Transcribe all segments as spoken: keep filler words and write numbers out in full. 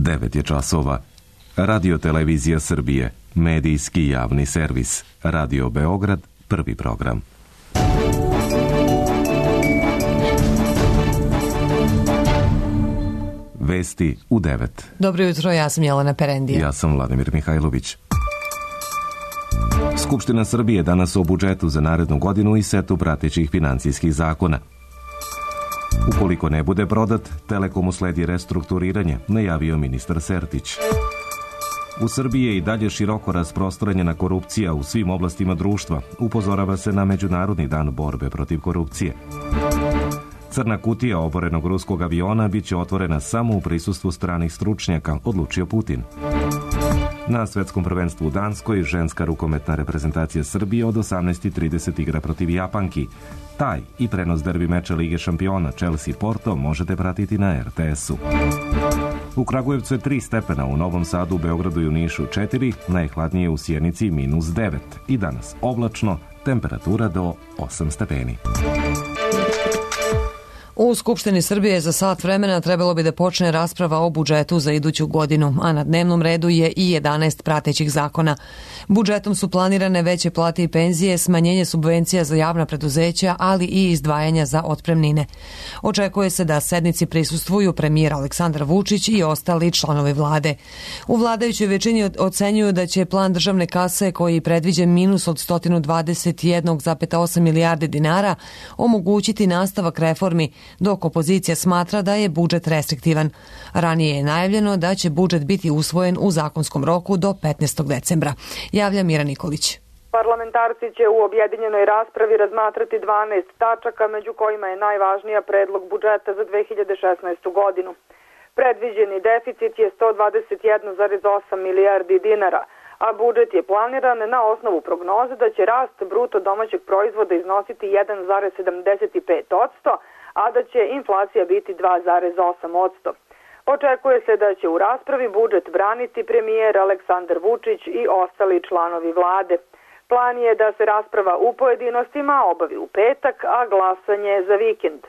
devet je časova. Radio Televizija Srbije, medijski javni servis. Radio Beograd, prvi program. Vesti u devet. Dobro jutro, ja sam Jelena Perendija. Ja sam Vladimir Mihajlović. Skupština Srbije danas o budžetu za narednu godinu i setu pratećih finansijskih zakona. Ukoliko ne bude prodat, Telekomu sledi restrukturiranje, najavio ministar Sertić. U Srbiji je i dalje široko rasprostranjena korupcija u svim oblastima društva. Upozorava se na Međunarodni dan borbe protiv korupcije. Crna kutija oborenog ruskog aviona biće otvorena samo u prisustvu stranih stručnjaka, odlučio Putin. Na svetskom prvenstvu u Danskoj ženska rukometna reprezentacija Srbije od osamnaest i trideset igra protiv Japanki. Taj i prenos derbi meča Lige šampiona Chelsea-Porto možete pratiti na er te esu. U Kragujevcu je tri stepena, u Novom Sadu, u Beogradu i u Nišu četiri, najhladnije u Sjenici minus devet. I danas oblačno, temperatura do osam stepeni. U Skupštini Srbije za sat vremena trebalo bi da počne rasprava o budžetu za iduću godinu, a na dnevnom redu je i jedanaest pratećih zakona. Budžetom su planirane veće plate i penzije, smanjenje subvencija za javna preduzeća, ali i izdvajanja za otpremnine. Očekuje se da sednici prisustvuju premijer Aleksandar Vučić i ostali članovi vlade. U vladajućoj većini ocenjuju da će plan državne kase, koji predviđa minus od sto dvadeset jedan zarez osam milijardi dinara, omogućiti nastavak reformi, dok opozicija smatra da je budžet restriktivan. Ranije je najavljeno da će budžet biti usvojen u zakonskom roku do petnaestog decembra. Javlja Mira Nikolić. Parlamentarci će u objedinjenoj raspravi razmatrati dvanaest tačaka, među kojima je najvažnija predlog budžeta za dve hiljade šesnaestu godinu. Predviđeni deficit je sto dvadeset jedan zarez osam milijardi dinara, a budžet je planiran na osnovu prognoze da će rast bruto domaćeg proizvoda iznositi jedan zarez sedamdeset pet posto, a da će inflacija biti dva zarez osam posto. Očekuje se da će u raspravi budžet braniti premijer Aleksandar Vučić i ostali članovi vlade. Plan je da se rasprava u pojedinostima obavi u petak, a glasanje za vikend.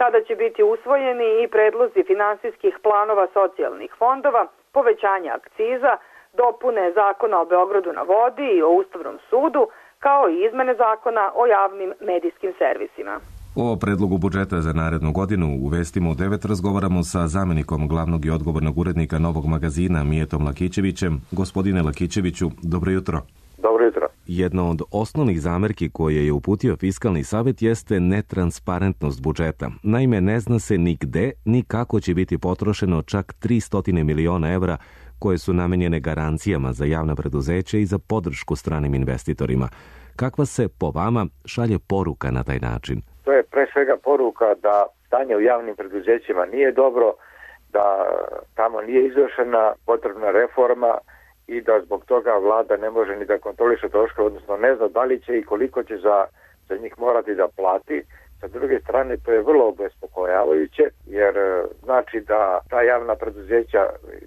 Tada će biti usvojeni i predlozi finansijskih planova socijalnih fondova, povećanja akciza, dopune zakona o Beogradu na vodi i o Ustavnom sudu, kao i izmene zakona o javnim medijskim servisima. O predlogu budžeta za narednu godinu u Vestima u devet razgovaramo sa zamenikom glavnog i odgovornog urednika Novog magazina Mijetom Lakićevićem. Gospodine Lakićeviću, dobro jutro. Dobro jutro. Jedna od osnovnih zamerki koje je uputio Fiskalni savet jeste netransparentnost budžeta. Naime, ne zna se ni gde, ni kako će biti potrošeno čak tristo miliona evra koje su namenjene garancijama za javna preduzeća i za podršku stranim investitorima. Kakva se po vama šalje poruka na taj način? To je pre svega poruka da stanje u javnim preduzećima nije dobro, da tamo nije izvršena potrebna reforma i da zbog toga vlada ne može ni da kontroliše troškove, odnosno ne zna da li će i koliko će za, za njih morati da plati. Sa druge strane, to je vrlo obespokojavajuće, jer znači da ta javna preduzeća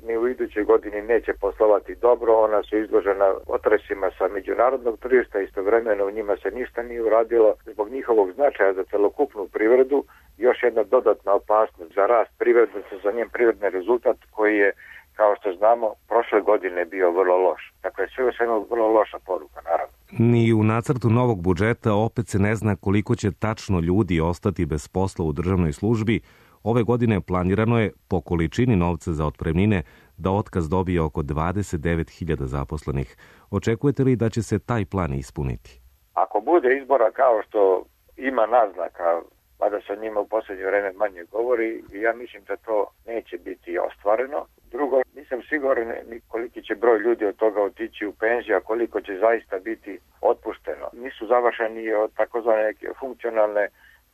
ni u idućoj godini neće poslovati dobro, ona su izložena otresima sa međunarodnog tržišta, istovremeno u njima se ništa nije uradilo. Zbog njihovog značaja za celokupnu privredu, još jedna dodatna opasnost za rast privrede, za njen privredni rezultat koji je, kao što znamo, prošle godine bio vrlo loš. Dakle, sve je svema vrlo loša poruka, naravno. Ni u nacrtu novog budžeta opet se ne zna koliko će tačno ljudi ostati bez posla u državnoj službi. Ove godine planirano je, po količini novca za otpremnine, da otkaz dobije oko dvadeset devet hiljada zaposlenih. Očekujete li da će se taj plan ispuniti? Ako bude izbora kao što ima naznaka, pa da se o njima u posljednje vreme manje govori, ja mislim da to neće biti ostvareno. Drugo, nisam siguran koliki će broj ljudi od toga otići u penziju, a koliko će zaista biti otpušteno. Nisu završeni takozvane funkcionalne,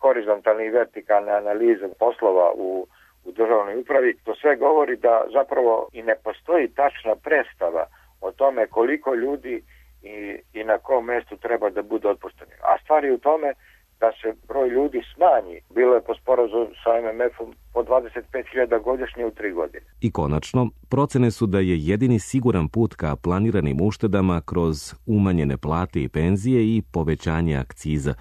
horizontalne i vertikalne analize poslova u, u državnoj upravi. To sve govori da zapravo i ne postoji tačna predstava o tome koliko ljudi i, i na kom mjestu treba da bude otpušteni. A stvar je u tome da se broj ljudi smanji. Bilo je po sporazumu sa em em efom po dvadeset pet hiljada godišnje u tri godine. I konačno, procene su da je jedini siguran put ka planiranim uštedama kroz umanjene plate i penzije i povećanje akciza.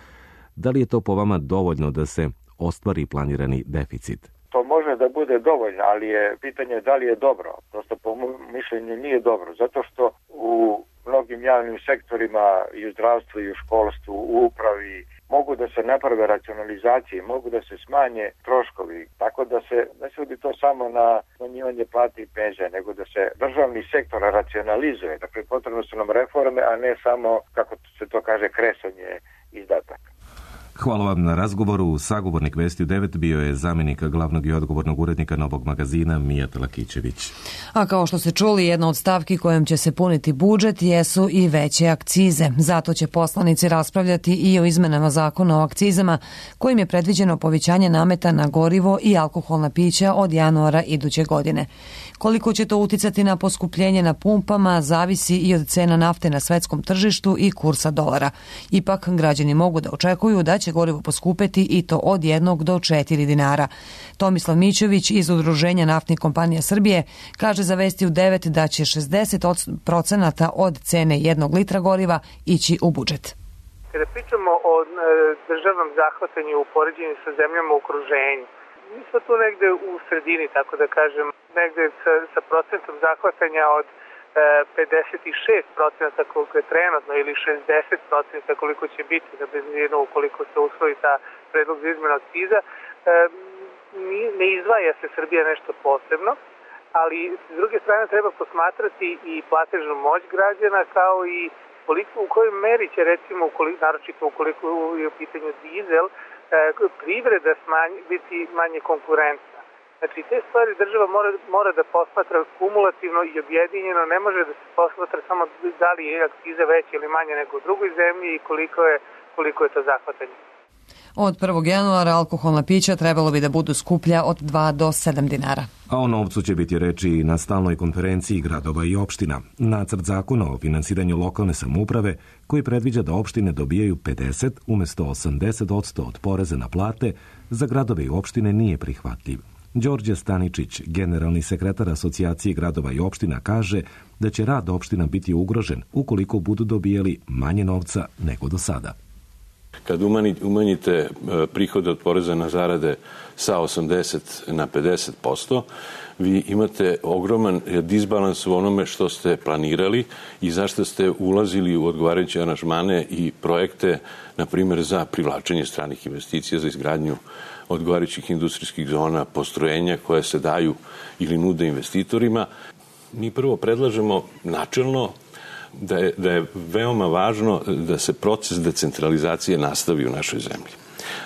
Da li je to po vama dovoljno da se ostvari planirani deficit? To može može da bude dovoljno, ali je pitanje da li je dobro. Prosto po mom mišljenju nije dobro, zato što u mnogim javnim sektorima i u zdravstvu i u školstvu, u upravi mogu da se naprave racionalizacije, mogu da se smanje troškovi, tako da se ne svodi to samo na smanjivanje plati i penzija, nego da se državni sektor racionalizuje. Dakle, potrebno su nam reforme, a ne samo, kako se to kaže, kresanje izdataka. Hvala vam na razgovoru. Sagovornik Vesti u devet bio je zamjenik glavnog i odgovornog urednika Novog magazina Mijat Lakićević. A kao što ste čuli, jedna od stavki kojom će se puniti budžet jesu i veće akcize. Zato će poslanici raspravljati i o izmenama zakona o akcizama, kojim je predviđeno povećanje nameta na gorivo i alkoholna pića od januara iduće godine. Koliko će to uticati na poskupljenje na pumpama, zavisi i od cena nafte na svetskom tržištu i kursa dolara. Ipak, građani mogu da očekuju da će gorivo poskupeti i to od jednog do četiri dinara. Tomislav Mićović iz Udruženja naftnih kompanija Srbije kaže za Vesti u devet da će šezdeset procenata od cene jednog litra goriva ići u budžet. Kada pričamo o državnom zahvatanju u poređenju sa zemljama u okruženju, mi smo tu negde u sredini, tako da kažem, negde sa, sa procentom zahvatanja od e, pedeset šest procenata koliko je trenutno ili šezdeset procenata koliko će biti na benzinu ukoliko se usvoji ta predlog za izmenu akciza. E, ne izdvaja se Srbija nešto posebno, ali s druge strane treba posmatrati i platežnu moć građana kao i koliko, u kojoj meri će recimo, ukoliko, naročito ukoliko je u pitanju dizel, privreda smanji, biti manje konkurentna. Znači, te stvari država mora, mora da posmatra kumulativno i objedinjeno, ne može da se posmatra samo da li je akciza veća ili manja nego u drugoj zemlji i koliko je, koliko je to zahvatanje. Od prvog januara alkoholna pića trebalo bi da budu skuplja od dva do sedam dinara. A o novcu će biti reči na stalnoj konferenciji gradova i opština. Nacrt zakona o finansiranju lokalne samouprave koji predviđa da opštine dobijaju pedeset umesto osamdeset posto od poreza na plate za gradove i opštine nije prihvatljiv. Đorđe Staničić, generalni sekretar Asocijacije gradova i opština, kaže da će rad opština biti ugrožen ukoliko budu dobijali manje novca nego do sada. Kad umanjite prihode od poreza na zarade sa osamdeset na pedeset posto, vi imate ogroman disbalans u onome što ste planirali i zašto ste ulazili u odgovarajuće aranžmane i projekte, na primjer, za privlačenje stranih investicija, za izgradnju odgovarajućih industrijskih zona, postrojenja koje se daju ili nude investitorima. Mi prvo predlažemo načelno Da je, da je veoma važno da se proces decentralizacije nastavi u našoj zemlji.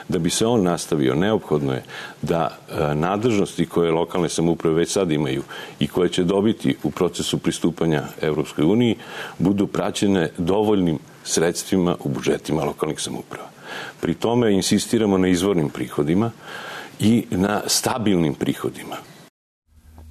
Da bi se on nastavio, neophodno je da nadležnosti koje lokalne samouprave već sad imaju i koje će dobiti u procesu pristupanja Evropskoj uniji budu praćene dovoljnim sredstvima u budžetima lokalnih samouprava. Pri tome insistiramo na izvornim prihodima i na stabilnim prihodima.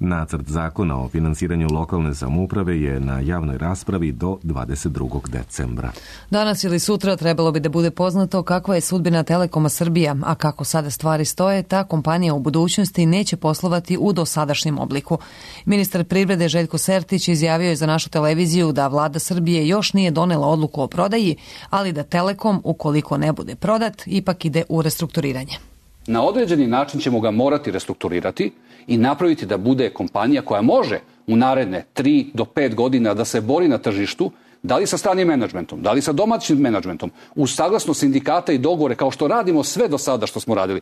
Nacrt zakona o finansiranju lokalne samouprave je na javnoj raspravi do dvadeset drugog decembra. Danas ili sutra trebalo bi da bude poznato kakva je sudbina Telekoma Srbija, a kako sada stvari stoje, ta kompanija u budućnosti neće poslovati u dosadašnjem obliku. Ministar privrede Željko Sertić izjavio je za našu televiziju da vlada Srbije još nije donela odluku o prodaji, ali da Telekom, ukoliko ne bude prodat, ipak ide u restrukturiranje. Na određeni način ćemo ga morati restrukturirati i napraviti da bude kompanija koja može u naredne tri do pet godina da se bori na tržištu, da li sa stranim menadžmentom, da li sa domaćim menadžmentom, uz saglasnost sindikata i dogovore, kao što radimo sve do sada što smo radili.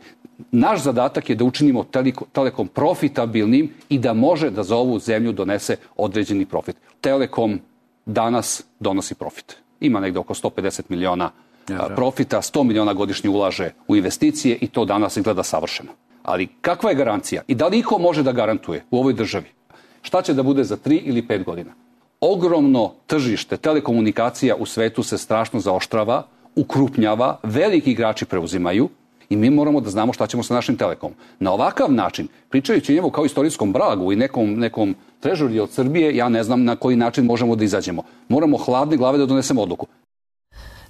Naš zadatak je da učinimo Telekom profitabilnim i da može da za ovu zemlju donese određeni profit. Telekom danas donosi profit. Ima negde oko sto pedeset miliona profita, sto miliona godišnje ulaže u investicije i to danas izgleda savršeno. Ali kakva je garancija i da li iko može da garantuje u ovoj državi šta će da bude za tri ili pet godina? Ogromno tržište telekomunikacija u svetu se strašno zaoštrava, ukrupnjava, veliki igrači preuzimaju i mi moramo da znamo šta ćemo sa našim Telekomom. Na ovakav način, pričajući njemu kao istorijskom bragu i nekom, nekom trežuri od Srbije, ja ne znam na koji način možemo da izađemo. Moramo hladne glave da donesemo odluku.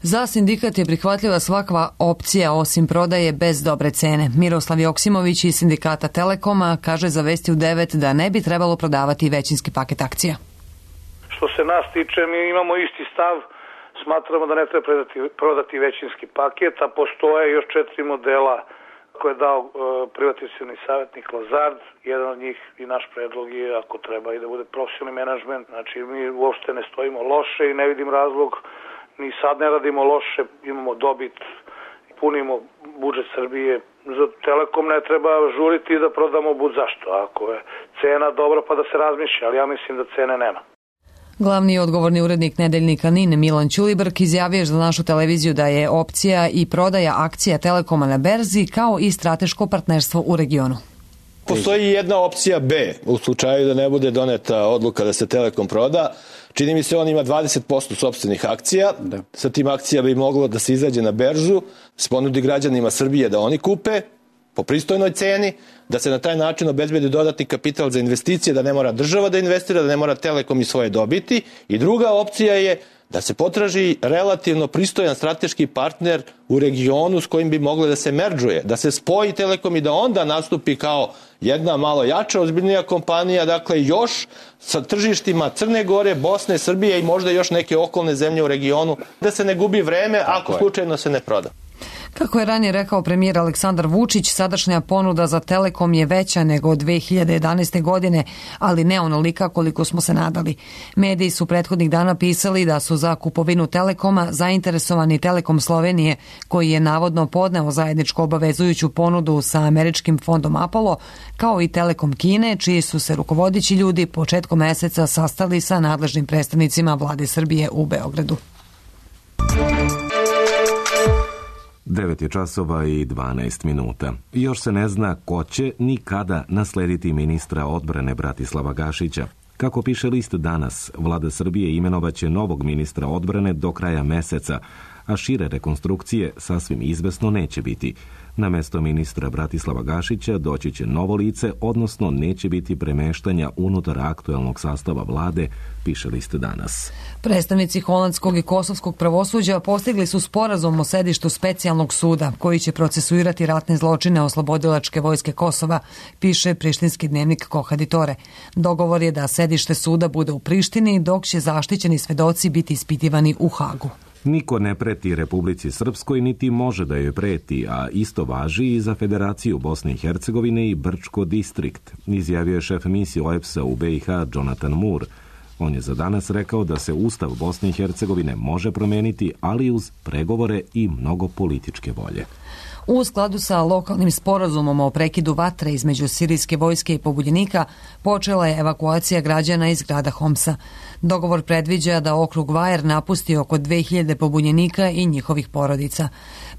Za sindikat je prihvatljiva svakva opcija osim prodaje bez dobre cene. Miroslav Joksimović iz sindikata Telekoma kaže za Vesti u devet da ne bi trebalo prodavati većinski paket akcija. Što se nas tiče, mi imamo isti stav, smatramo da ne treba prodati, prodati većinski paket, a postoje još četiri modela Koje je dao e, privatizacioni savjetnik Lazard, jedan od njih i naš predlog je, ako treba, i da bude profesionalni menadžment. Znači, mi uopšte ne stojimo loše i ne vidim razlog, ni sad ne radimo loše, imamo dobit, punimo budžet Srbije. Za Telekom ne treba žuriti da prodamo bud zašto. Ako je cena dobra, pa da se razmišlja, ali ja mislim da cene nema. Glavni odgovorni urednik nedeljnika N I N Milan Ćulibrk izjavio je za našu televiziju da je opcija i prodaja akcija Telekoma na berzi kao i strateško partnerstvo u regionu. Postoji jedna opcija B u slučaju da ne bude doneta odluka da se Telekom proda. Čini mi se on ima dvadeset posto sopstvenih akcija. Da. Sa tim akcija bi moglo da se izađe na beržu, se ponudi građanima Srbije da oni kupe po pristojnoj ceni, da se na taj način obezbedi dodatni kapital za investicije, da ne mora država da investira, da ne mora Telekom i svoje dobiti. I druga opcija je da se potraži relativno pristojan strateški partner u regionu s kojim bi moglo da se merdžuje, da se spoji Telekom i da onda nastupi kao jedna malo jača, ozbiljnija kompanija, dakle još sa tržištima Crne Gore, Bosne, Srbije i možda još neke okolne zemlje u regionu, da se ne gubi vreme ako slučajno se ne proda. Kako je ranije rekao premijer Aleksandar Vučić, sadašnja ponuda za Telekom je veća nego od dve hiljade jedanaeste. godine, ali ne onolika koliko smo se nadali. Mediji su prethodnih dana pisali da su za kupovinu Telekoma zainteresovani Telekom Slovenije, koji je navodno podneo zajedničku obavezujuću ponudu sa američkim fondom Apollo, kao i Telekom Kine, čiji su se rukovodeći ljudi početkom meseca sastali sa nadležnim predstavnicima vlade Srbije u Beogradu. devet je časova i dvanaest minuta. Još se ne zna ko će ni kada naslediti ministra odbrane Bratislava Gašića. Kako piše list Danas, vlada Srbije imenovaće novog ministra odbrane do kraja meseca, a šire rekonstrukcije sasvim izvesno neće biti. Na mesto ministra Bratislava Gašića doći će novo lice, odnosno neće biti premeštanja unutar aktuelnog sastava vlade, piše list Danas. Predstavnici holandskog i kosovskog pravosuđa postigli su sporazum o sedištu specijalnog suda koji će procesuirati ratne zločine oslobodilačke vojske Kosova, piše prištinski dnevnik Kohaditore. Dogovor je da sedište suda bude u Prištini, dok će zaštićeni svedoci biti ispitivani u Hagu. Niko ne preti Republici Srpskoj, niti može da joj preti, a isto važi i za Federaciju Bosne i Hercegovine i Brčko distrikt, izjavio je šef misije O E B S-a u B i H Jonathan Moore. On je za Danas rekao da se Ustav Bosne i Hercegovine može promeniti, ali uz pregovore i mnogo političke volje. U skladu sa lokalnim sporazumom o prekidu vatre između sirijske vojske i pobunjenika počela je evakuacija građana iz grada Homsa. Dogovor predviđa da okrug Vajer napusti oko dve hiljade pobunjenika i njihovih porodica.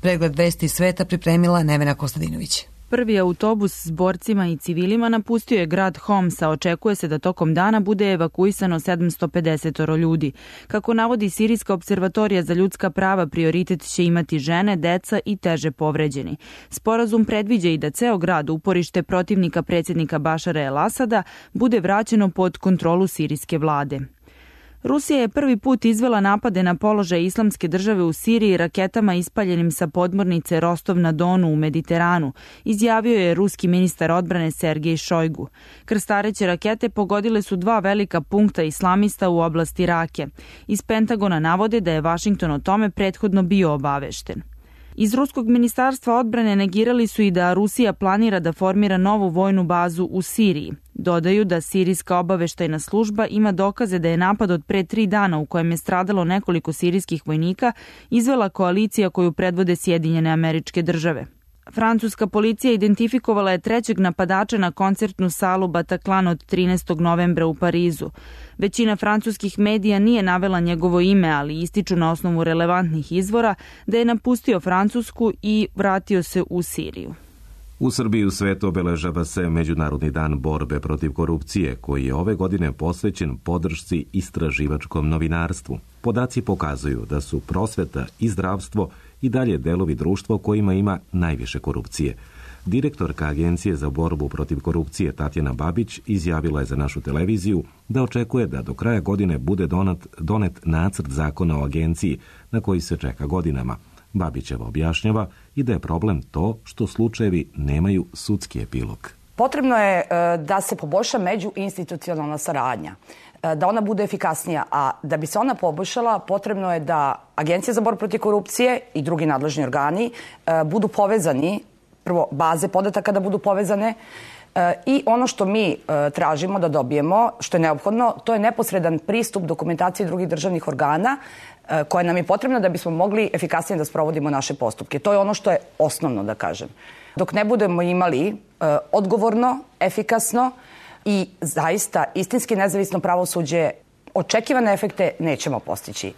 Pregled vesti sveta pripremila Nevena Kostadinović. Prvi autobus s borcima i civilima napustio je grad Homs, a očekuje se da tokom dana bude evakuisano sedamsto pedeset ljudi. Kako navodi Sirijska observatorija za ljudska prava, prioritet će imati žene, deca i teže povređeni. Sporazum predviđa i da ceo grad, uporište protivnika predsjednika Bašara el-Asada, bude vraćeno pod kontrolu sirijske vlade. Rusija je prvi put izvela napade na položaj Islamske države u Siriji raketama ispaljenim sa podmornice Rostov na Donu u Mediteranu, izjavio je ruski ministar odbrane Sergej Šojgu. Krstareće rakete pogodile su dva velika punkta islamista u oblasti Rake. Iz Pentagona navode da je Vašington o tome prethodno bio obavešten. Iz ruskog ministarstva odbrane negirali su i da Rusija planira da formira novu vojnu bazu u Siriji. Dodaju da sirijska obaveštajna služba ima dokaze da je napad od pre tri dana u kojem je stradalo nekoliko sirijskih vojnika izvela koalicija koju predvode Sjedinjene Američke Države. Francuska policija identifikovala je trećeg napadača na koncertnu salu Bataclan od trinaestog novembra u Parizu. Većina francuskih medija nije navela njegovo ime, ali ističu na osnovu relevantnih izvora da je napustio Francusku i vratio se u Siriju. U Srbiji u svetu obeležava se Međunarodni dan borbe protiv korupcije, koji je ove godine posvećen podršci istraživačkom novinarstvu. Podaci pokazuju da su prosveta i zdravstvo i dalje delovi društva u kojima ima najviše korupcije. Direktorka Agencije za borbu protiv korupcije Tatjana Babić izjavila je za našu televiziju da očekuje da do kraja godine bude donet, donet nacrt zakona o agenciji na koji se čeka godinama. Babićeva objašnjava i da je problem to što slučajevi nemaju sudski epilog. Potrebno je da se poboljša međuinstitucionalna saradnja, da ona bude efikasnija, a da bi se ona poboljšala potrebno je da Agencija za borbu protiv korupcije i drugi nadležni organi budu povezani prvo baze podataka da budu povezane i ono što mi tražimo da dobijemo, što je neophodno, to je neposredan pristup dokumentaciji drugih državnih organa koja nam je potrebna da bismo mogli efikasnije da sprovodimo naše postupke. To je ono što je osnovno, da kažem. Dok ne budemo imali odgovorno, efikasno i zaista istinski nezavisno pravosuđe, očekivane efekte nećemo postići.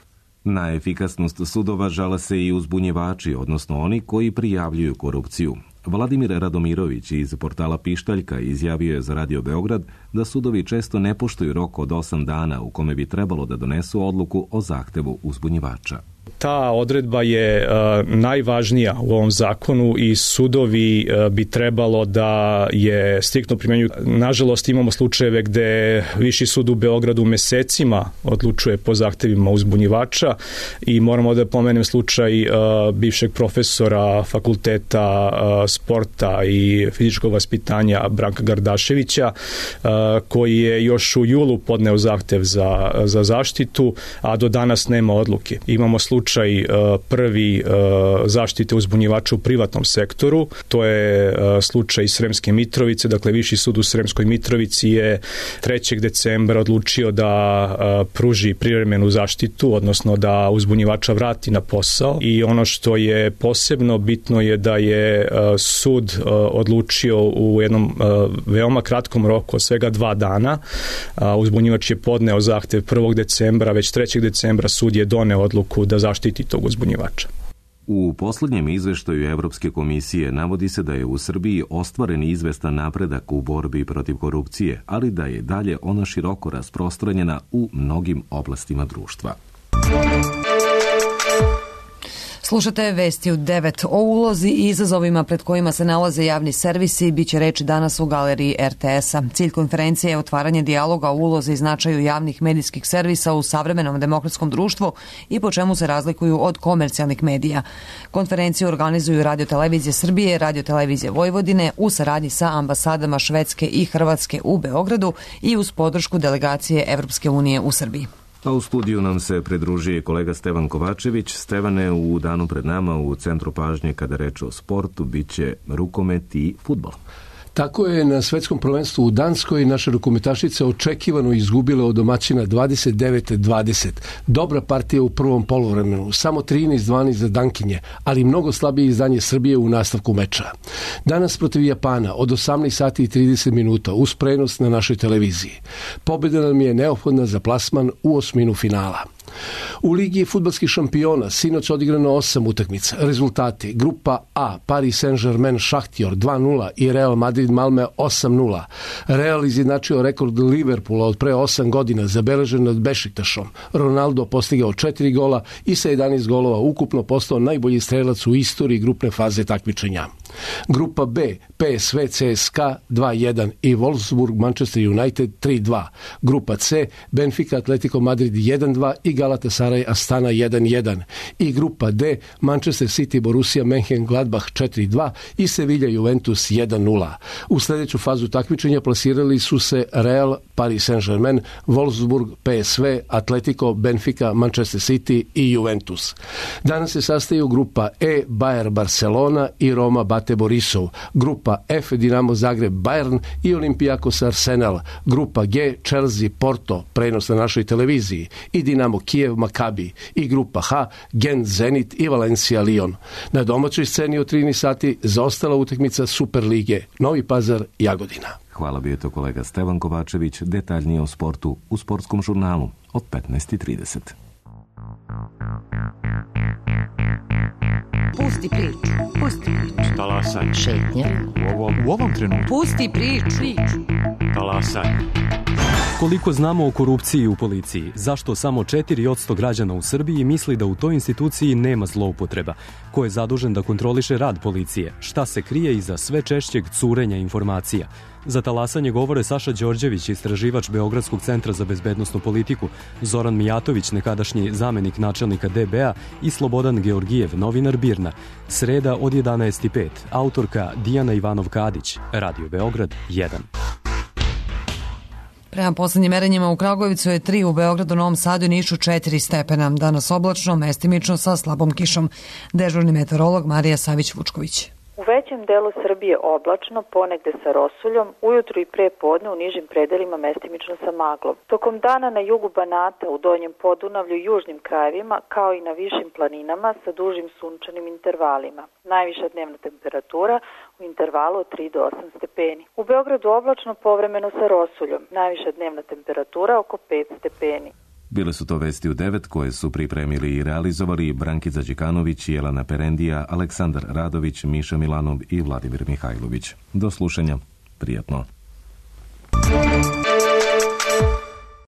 Na efikasnost sudova žale se i uzbunjivači, odnosno oni koji prijavljuju korupciju. Vladimir Radomirović iz portala Pištaljka izjavio je za Radio Beograd da sudovi često ne poštuju rok od osam dana u kome bi trebalo da donesu odluku o zahtevu uzbunjivača. Ta odredba je uh, najvažnija u ovom zakonu i sudovi uh, bi trebalo da je striktno primenjuju. Nažalost, imamo slučajeve gde Viši sud u Beogradu mesecima odlučuje po zahtevima uzbunjivača i moramo da pomenem slučaj uh, bivšeg profesora fakulteta uh, sporta i fizičkog vaspitanja Branka Gardaševića uh, koji je još u julu podneo zahtev za, za zaštitu, a do danas nema odluke. Imamo slučaj prvi zaštite uzbunjivača u privatnom sektoru. To je slučaj Sremske Mitrovice. Dakle, Viši sud u Sremskoj Mitrovici je trećeg decembra odlučio da pruži privremenu zaštitu, odnosno da uzbunjivača vrati na posao. I ono što je posebno bitno je da je sud odlučio u jednom veoma kratkom roku, od svega dva dana. Uzbunjivač je podneo zahtev prvog decembra, već trećeg decembra sud je doneo odluku da zaštiti tog uzbunjivača. U poslednjem izveštaju Evropske komisije navodi se da je u Srbiji ostvaren izvestan napredak u borbi protiv korupcije, ali da je dalje ona široko rasprostranjena u mnogim oblastima društva. Slušate vesti u devet o ulozi i izazovima pred kojima se nalaze javni servisi. Biće reči danas u galeriji er te es-a. Cilj konferencije je otvaranje dijaloga o ulozi i značaju javnih medijskih servisa u savremenom demokratskom društvu i po čemu se razlikuju od komercijalnih medija. Konferenciju organizuju Radio-televizija Srbije, Radio-televizija Vojvodine u saradnji sa ambasadama Švedske i Hrvatske u Beogradu i uz podršku delegacije Evropske unije u Srbiji. A u studiju nam se pridružuje kolega Stevan Kovačević. Stevane, u danu pred nama u centru pažnje kada reče o sportu biće rukomet i fudbal. Tako je na svetskom prvenstvu u Danskoj naša rukometašica očekivano izgubila od domaćina dvadeset devet dvadeset. Dobra partija u prvom poluvremenu, samo trinaest dvanaest za Dankinje, ali mnogo slabije izdanje Srbije u nastavku meča. Danas protiv Japana od osamnaest sati i trideset minuta uz prenos na našoj televiziji. Pobjeda nam je neophodna za plasman u osminu finala. U Ligi fudbalskih šampiona sinoć odigrano osam utakmica. Rezultati: Grupa A, Paris Saint-Germain Šahtjor dva nula i Real Madrid Malme osam nula. Real izjednačio rekord Liverpoola od pre osam godina, zabeležen nad Bešiktašom. Ronaldo postigao četiri gola i sa jedanaest golova ukupno postao najbolji strelac u istoriji grupne faze takmičenja. Grupa B, P S V C S K dva jedan i Wolfsburg Manchester United tri dva. Grupa C, Benfica Atletico Madrid jedan dva i Galatasaray Astana jedan jedan. I grupa D, Manchester City Borussia Mönchengladbach četiri dva i Sevilla Juventus jedan nula. U sljedeću fazu takmičenja plasirali su se Real, Paris Saint-Germain, Wolfsburg, P S V, Atletico, Benfica, Manchester City i Juventus. Danas se sastaju grupa E, Bayer Barcelona i Roma Bate Borisov. Grupa F, Dinamo Zagreb Bayern i Olympiakos Arsenal. Grupa G, Chelsea Porto, prenos na našoj televiziji, i Dinamo Kijev Makabi. I grupa H, Gent Zenit i Valencia Lyon. Na domaćoj sceni od trinaest sati zaostala utakmica Super lige Novi Pazar Jagodina. Hvala, bio je to kolega Stevan Kovačević. Detaljnije o sportu u Sportskom žurnalu od petnaest i trideset. Pusti priču, pusti priču. Talasaj. Šetnja. U ovom, u ovom trenutku. Pusti priču. Talasaj. Koliko znamo o korupciji u policiji? Zašto samo četiri posto građana u Srbiji misli da u toj instituciji nema zloupotreba? Ko je zadužen da kontroliše rad policije? Šta se krije iza sve češćeg curenja informacija? Za talasanje govore Saša Đorđević, istraživač Beogradskog centra za bezbednosnu politiku, Zoran Mijatović, nekadašnji zamenik načelnika de be a i Slobodan Georgijev, novinar Birna. Sreda od jedanaest i pet. Autorka Dijana Ivanov-Kadić. Radio Beograd jedan. Prema poslednjim merenjima u Kragujevcu je tri, u Beogradu, Novom Sadu i Nišu četiri stepena. Danas oblačno, mestimično sa slabom kišom. Dežurni meteorolog Marija Savić-Vučković. U većem delu Srbije oblačno, ponegde sa rosuljom, ujutru i pre podne u nižim predelima mestimično sa maglom. Tokom dana na jugu Banata, u donjem Podunavlju i južnim krajevima, kao i na višim planinama sa dužim sunčanim intervalima. Najviša dnevna temperatura u intervalu od tri do osam stepeni. U Beogradu oblačno, povremeno sa rosuljom. Najviša dnevna temperatura oko pet stepeni. Bile su to vesti u devet koje su pripremili i realizovali Brankica Đikanović, Jelena Perendija, Aleksandar Radović, Miša Milanov i Vladimir Mihajlović. Do slušanja. Prijatno.